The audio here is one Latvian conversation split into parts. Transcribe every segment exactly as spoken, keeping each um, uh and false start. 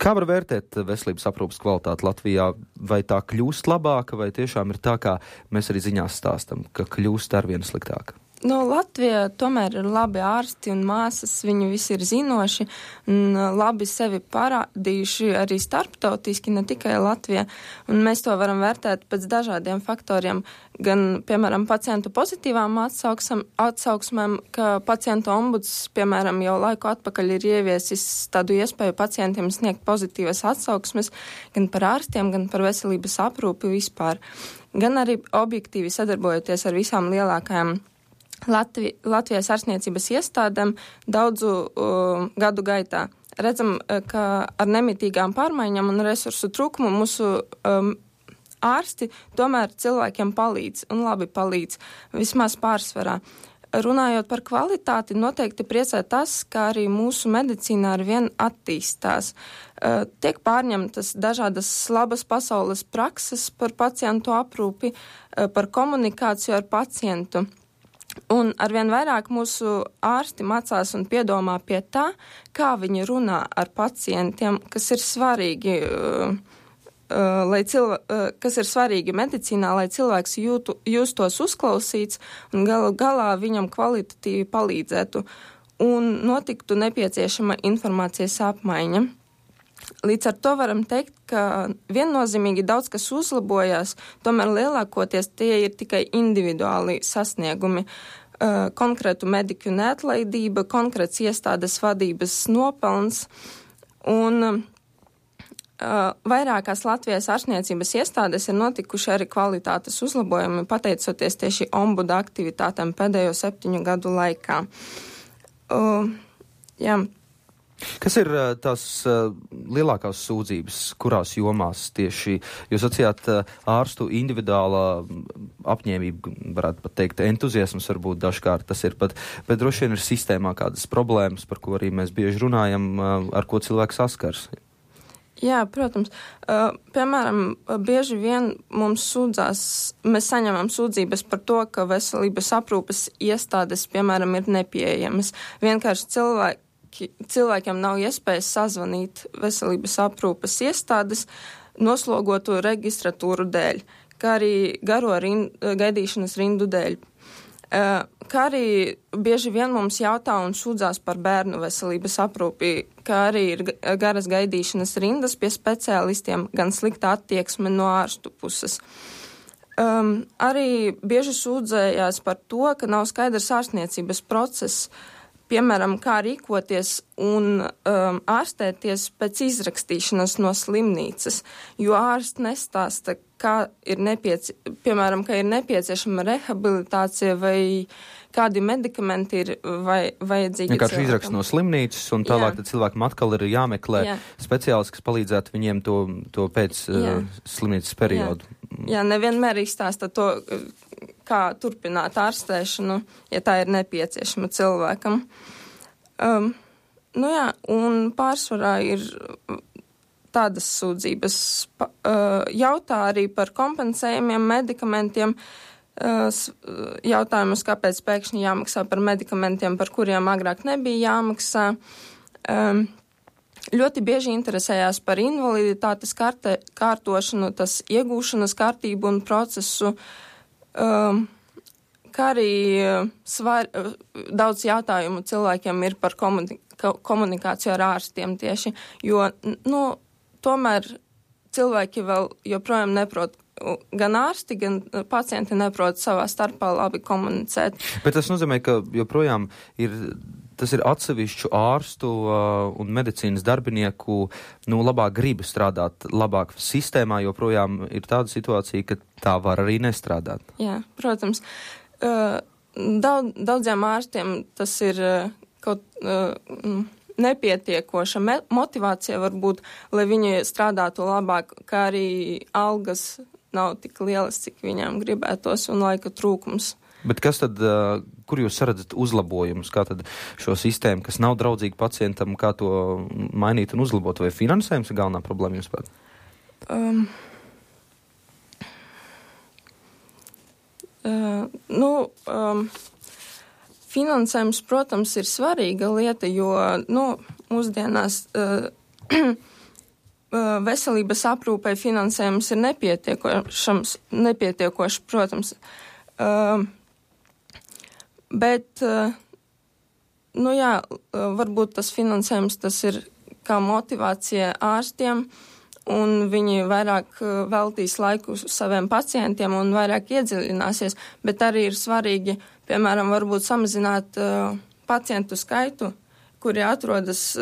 Kā var vērtēt veselības aprūpes kvalitāti Latvijā? Vai tā kļūst labāka, vai tiešām ir tā, kā mēs arī ziņās stāstam, ka kļūst arvien sliktāka? Nu, Latvijā tomēr ir labi ārsti un māsas, viņi visi ir zinoši un labi sevi parādījuši arī starptautiski, ne tikai Latvijā. Un mēs to varam vērtēt pēc dažādiem faktoriem, gan, piemēram, pacientu pozitīvām atsauksam, atsauksmēm, ka pacientu ombuds, piemēram, jau laiku atpakaļ ir ieviesis tādu iespēju pacientiem sniegt pozitīvas atsauksmes, gan par ārstiem, gan par veselības aprūpi vispār. Gan arī objektīvi sadarbojoties ar visām lielākajām Latvi, Latvijas ārstniecības iestādēm daudzu uh, gadu gaitā. Redzam, ka ar nemitīgām pārmaiņām un resursu trūkumu mūsu um, ārsti tomēr cilvēkiem palīdz un labi palīdz, vismaz pārsvarā. Runājot par kvalitāti, noteikti priecē tas, ka arī mūsu medicīnā ar vien attīstās. Uh, tiek pārņemtas dažādas labas pasaules prakses par pacientu aprūpi, uh, par komunikāciju ar pacientu. Un arvien vairāk mūsu ārsti mācās un piedomā pie tā, kā viņi runā ar pacientiem, kas ir svarīgi, uh, uh, lai cilv- uh, kas ir svarīgi medicīnā, lai cilvēks jūtu, justos uzklausīts un galu galā viņam kvalitatīvi palīdzētu un notiktu nepieciešama informācijas apmaiņa. Līdz ar to varam teikt, ka viennozīmīgi daudz kas uzlabojās, tomēr lielākoties tie ir tikai individuāli sasniegumi, uh, konkrētu mediķu neatlaidība, konkrēts iestādes vadības nopelns un uh, vairākās Latvijas ārstniecības iestādes ir notikuši arī kvalitātes uzlabojumi, pateicoties tieši ombuda aktivitātēm pēdējo septiņu gadu laikā. Uh, jā. Kas ir tās uh, lielākās sūdzības, kurās jomās tieši, jūs sacījāt uh, ārstu individuālā apņēmība, varētu pat teikt, entuziasms varbūt dažkārt tas ir, bet, bet droši vien ir sistēmā kādas problēmas, par ko arī mēs bieži runājam, uh, ar ko cilvēks saskars. Jā, protams. Uh, piemēram, bieži vien mums sūdzās, mēs saņemam sūdzības par to, ka veselības aprūpes iestādes, piemēram, ir nepieejamas. Vienkārši cilvēki cilvēkiem nav iespējas sazvanīt veselības aprūpes iestādes noslogotu registratūru dēļ, kā arī garo rind, gaidīšanas rindu dēļ. Kā arī bieži vien mums jautā un sūdzās par bērnu veselības aprūpi, kā arī ir garas gaidīšanas rindas pie speciālistiem, gan slikta attieksme no ārstu puses. Um, arī bieži sūdzējās par to, ka nav skaidrs ārstniecības process, piemēram, kā rīkoties un um, ārstēties pēc izrakstīšanas no slimnīcas, jo ārsts nestāsta, kā ir nepieci, piemēram, ka ir nepieciešama rehabilitācija vai kādi medikamenti ir vai, vajadzīgi. Vienkārši izrakst no slimnīcas un tālāk tad cilvēkam atkal ir jāmeklē Jā. speciālists, kas palīdzētu viņiem to, to pēc uh, slimnīcas periodu. Jā. Jā, nevienmēr izstāsta to, kā turpināt ārstēšanu, ja tā ir nepieciešama cilvēkam. Um, nu jā, un pārsvarā ir tādas sūdzības. Pa, uh, jautā arī par kompensējumiem medikamentiem, uh, jautājumus, kāpēc pēkšņi jāmaksā par medikamentiem, par kuriem agrāk nebija jāmaksā. Um, ļoti bieži interesējās par invaliditātes kārte, kārtošanu, tas iegūšanas kārtību un procesu. Um, kā arī svar, daudz jautājumu cilvēkiem ir par komunika, komunikāciju ar ārstiem tieši, jo, nu, tomēr cilvēki vēl joprojām neprot, gan ārsti, gan pacienti neprot savā starpā labi komunicēt. Bet tas nozīmē, ka joprojām ir, tas ir atsevišķu ārstu uh, un medicīnas darbinieku, nu, labāk griba strādāt labāk sistēmā, joprojām ir tāda situācija, ka tā var arī nestrādāt. Jā, protams. Uh, daudz, daudziem ārstiem tas ir uh, kaut uh, nepietiekoša me- motivācija varbūt, lai viņi strādātu labāk, kā arī algas nav tik lielas, cik viņām gribētos un laika trūkums. Bet kas tad, uh, kur jūs redzat uzlabojumus, kā tad šo sistēmu, kas nav draudzīga pacientam, kā to mainīt un uzlabot, vai finansējums ir galvenā problēma jums pat? Um. Uh, nu, um, finansējums, protams, ir svarīga lieta, jo, nu, mūsdienās uh, veselības aprūpei finansējums ir nepietiekošams, nepietiekošs, protams. Bet, nu jā, varbūt tas finansējums tas ir kā motivācija ārstiem, un viņi vairāk veltīs laiku saviem pacientiem un vairāk iedziļināsies, bet arī ir svarīgi, piemēram, varbūt samazināt pacientu skaitu, kuri atrodas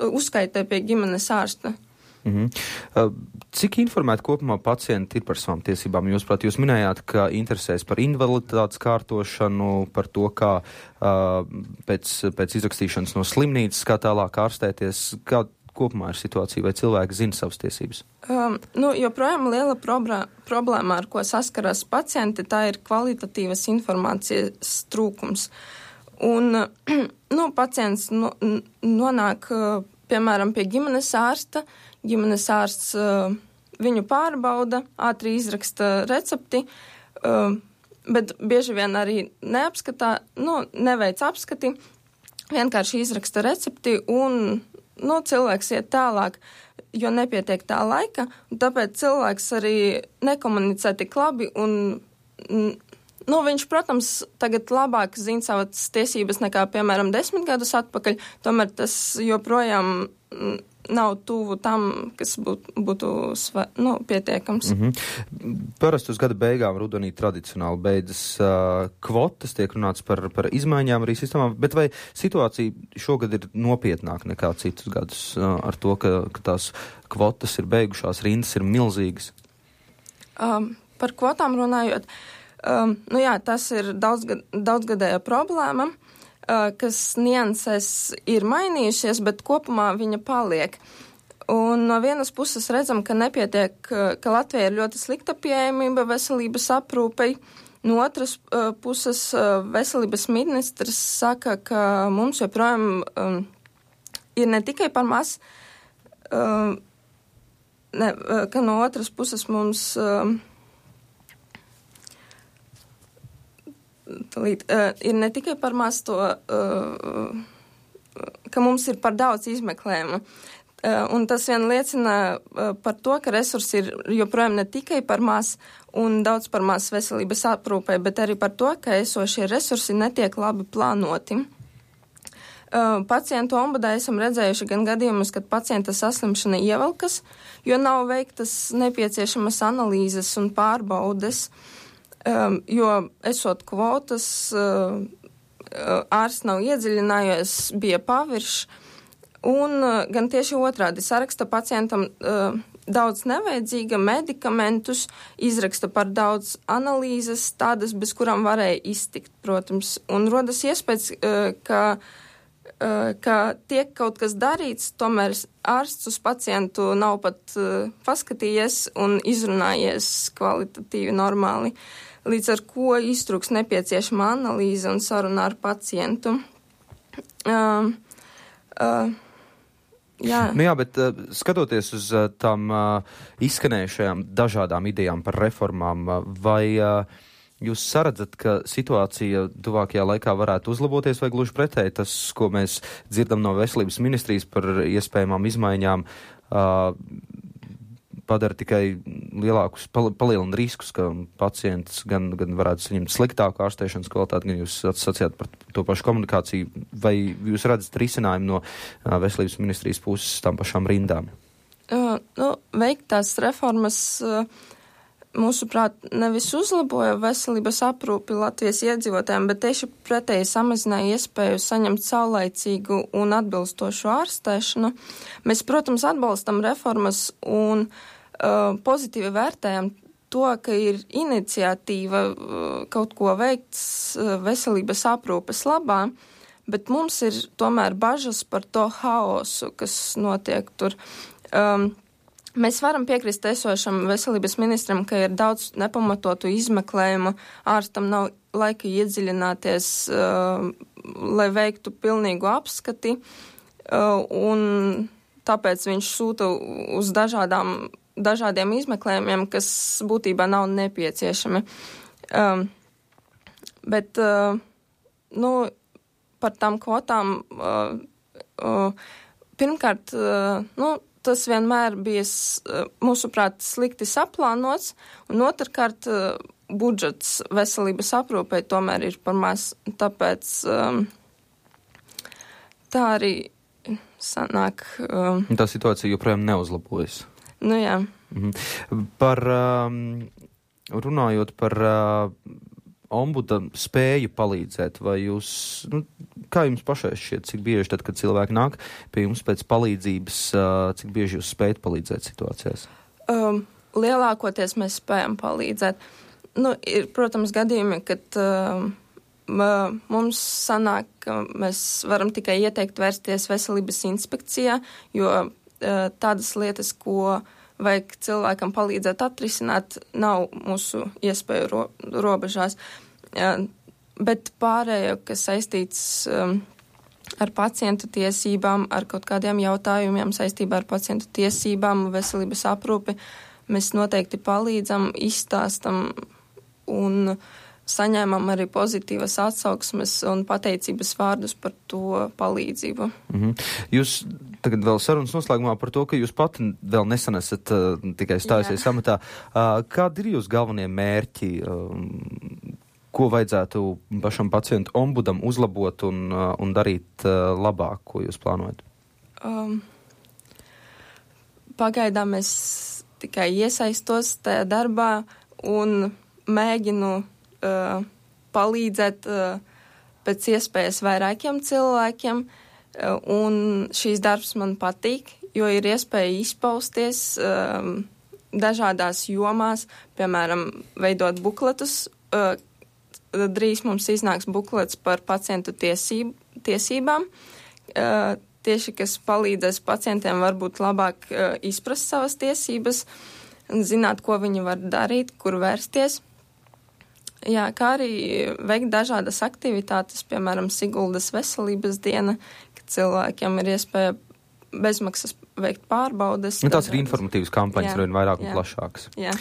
uzskaitē pie ģimenes ārsta. Mm-hmm. Cik informēti kopumā pacienti ir par savām tiesībām? Jūs, prāt, jūs minējāt, ka interesēs par invaliditātes kārtošanu, par to, kā uh, pēc, pēc izrakstīšanas no slimnīcas, kā tālāk ārstēties, kā kopumā ir situācija, vai cilvēki zina savas tiesības? Um, nu, joprojām liela problēma, problēma, ar ko saskaras pacienti, tā ir kvalitatīvas informācijas trūkums. Un, nu, pacients no, nonāk, piemēram, pie ģimenes ārsta, ģimenes ārsts uh, viņu pārbauda, ātri izraksta recepti, uh, bet bieži vien arī neapskatā, nu, neveic apskati, vienkārši izraksta recepti un, nu, cilvēks iet tālāk, jo nepietiek tā laika, un tāpēc cilvēks arī nekomunicē tik labi un, nu, viņš, protams, tagad labāk zina savas tiesības nekā, piemēram, desmit gadus atpakaļ, tomēr tas joprojām nav tuvu tam, kas būtu, būtu sva, nu, pietiekams. Mm-hmm. Parasti uz gada beigām rudenī tradicionāli beidzas uh, kvotas, tiek runāts par, par izmaiņām arī sistēmām, bet vai situācija šogad ir nopietnāka nekā citus gadus uh, ar to, ka, ka tās kvotas ir beigušās, rindas ir milzīgas? Um, par kvotām runājot, um, nu jā, tas ir daudzgad, daudzgadēja problēma, kas nianses ir mainījušies, bet kopumā viņa paliek. Un no vienas puses redzam, ka nepietiek, ka Latvijā ir ļoti slikta pieejamība veselības aprūpei. No otras uh, puses veselības ministrs saka, ka mums joprojām um, ir ne tikai par maz, um, ne, ka no otras puses mums um, Līd, uh, ir ne tikai par maz to, uh, ka mums ir par daudz izmeklējumu. Uh, un tas vien liecina uh, par to, ka resursi ir joprojām ne tikai par maz un daudz par maz veselības aprūpē, bet arī par to, ka esošie resursi netiek labi plānoti. Uh, pacientu ombudā esam redzējuši gan gadījumus, kad pacienta saslimšana ievelkas, jo nav veiktas nepieciešamas analīzes un pārbaudes. Um, jo esot kvotas, uh, ārsts nav iedziļinājies, bija pavirš, un uh, gan tieši otrādi saraksta pacientam uh, daudz nevajadzīga medikamentus, izraksta par daudz analīzes, tādas, bez kurām varēja iztikt, protams, un rodas iespējas, uh, ka, uh, ka tiek kaut kas darīts, tomēr ārsts uz pacientu nav pat uh, paskatījies un izrunājies kvalitatīvi normāli. Līdz ar ko iztrūks nepieciešama analīze un saruna ar pacientu. Uh, uh, jā. Nu jā, bet uh, skatoties uz uh, tām uh, izskanējušajām dažādām idejām par reformām, uh, vai uh, jūs saredzat, ka situācija tuvākajā laikā varētu uzlaboties, vai gluži pretēji tas, ko mēs dzirdam no veselības ministrijas par iespējamām izmaiņām, uh, padara tikai lielākus, palielina riskus, ka pacients gan, gan varētu saņemt sliktāku ārstēšanas kvalitāti, gan jūs sacījāt par to pašu komunikāciju, vai jūs redzat risinājumu no uh, veselības ministrijas puses tām pašām rindām? Uh, nu, veiktās reformas, uh, mūsuprāt, nevis uzlaboja veselības aprūpi Latvijas iedzīvotājiem, bet tieši pretēji samazināja iespēju saņemt saulaicīgu un atbilstošu ārstēšanu. Mēs, protams, atbalstam reformas un uh, pozitīvi vērtējam to, ka ir iniciatīva uh, kaut ko veikt uh, veselības aprūpes labā, bet mums ir tomēr bažas par to haosu, kas notiek tur. Um, Mēs varam piekrist esošam veselības ministram, ka ir daudz nepamatotu izmeklējumu, ārstam nav laika iedziļināties, uh, lai veiktu pilnīgu apskati, uh, un tāpēc viņš sūta uz dažādām, dažādiem izmeklējumiem, kas būtībā nav nepieciešami. Um, bet, uh, nu, par tām kvotām, uh, uh, pirmkārt, uh, nu, tas vienmēr bija, mūsuprāt, slikti saplānots, un otrkārt, budžets veselības aprūpei tomēr ir par maz, tāpēc um, tā arī sanāk. Um, tā situācija joprojām neuzlabojas. Nu jā. Mhm. Par, um, runājot par uh, ombuda spēju palīdzēt, vai jūs, nu, kā jums pašai šķiet, cik bieži tad, kad cilvēki nāk pie jums pēc palīdzības, uh, cik bieži jūs spējat palīdzēt situācijās? Um, lielākoties mēs spējam palīdzēt. Nu, ir, protams, gadījumi, kad uh, mums sanāk, ka mēs varam tikai ieteikt vērsties veselības inspekcijā, jo uh, tādas lietas, ko vajag cilvēkam palīdzēt atrisināt, nav mūsu iespēju ro robežās. Uh, bet pārējo, kas saistīts um, ar pacientu tiesībām, ar kaut kādiem jautājumiem saistībā ar pacientu tiesībām, veselības aprūpi, mēs noteikti palīdzam, izstāstam un saņēmām arī pozitīvas atsauksmes un pateicības vārdus par to palīdzību. Mm-hmm. Jūs tagad vēl sarunas noslēgumā par to, ka jūs pati vēl nesen esat uh, tikai stājusies amatā. Uh, kādi ir jūs galvenie mērķi? Uh, ko vajadzētu pašam pacientu ombudam uzlabot un, uh, un darīt uh, labāk, ko jūs plānojat? Um, pagaidām es tikai iesaistos tajā darbā un mēģinu uh, palīdzēt uh, pēc iespējas vairākiem cilvēkiem, uh, un šīs darbs man patīk, jo ir iespēja izpausties uh, dažādās jomās, piemēram, veidot bukletus. Uh, drīz mums iznāks buklets par pacientu tiesību, tiesībām, uh, tieši kas palīdzēs pacientiem varbūt labāk uh, izprast savas tiesības, zināt, ko viņi var darīt, kur vērsties. Jā, kā arī veikt dažādas aktivitātes, piemēram, Siguldas veselības diena, kad cilvēkiem ir iespēja bezmaksas veikt pārbaudes. Nu, tās ir informatīvas kampaņas, vien vairāk un plašākas. Jā.